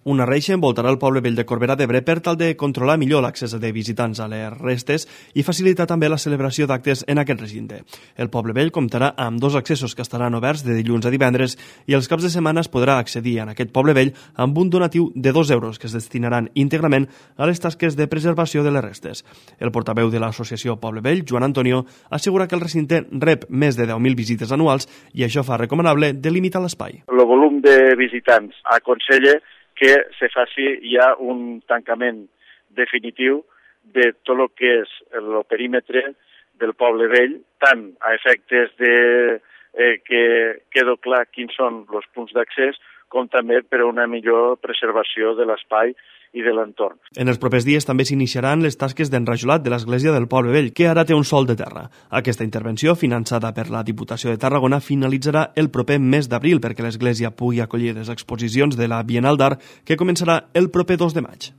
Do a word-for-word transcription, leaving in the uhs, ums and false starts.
Una reixa envoltarà el poble vell de Corbera d'Ebre per tal de controlar millor l'accés de visitants a les restes i facilitar també la celebració d'actes en aquest recinte. El poble vell comptarà amb dos accessos que estaran oberts de dilluns a divendres i els caps de setmana es podrà accedir en aquest poble vell amb un donatiu de dos euros que es destinaran íntegrament a les tasques de preservació de les restes. El portaveu de l'associació Poble Vell, Joan Antonio, assegura que el recinte rep més de deu mil visites anuals i això fa recomanable delimitar l'espai. El volum de visitants aconsella que se faci ja un tancament definitiu de tot el que és el perímetre del poble vell, tant a efectes de eh, que quedi clar quins són els punts d'accés, com també per a una millor preservació de l'espai i de l'entorn. En els propers dies també s'iniciaran les tasques d'enrajolat de l'església del Poble Vell, que ara té un sòl de terra. Aquesta intervenció, finançada per la Diputació de Tarragona, finalitzarà el proper mes d'abril perquè l'església pugui acollir les exposicions de la Bienal d'Art, que començarà el proper dos de maig.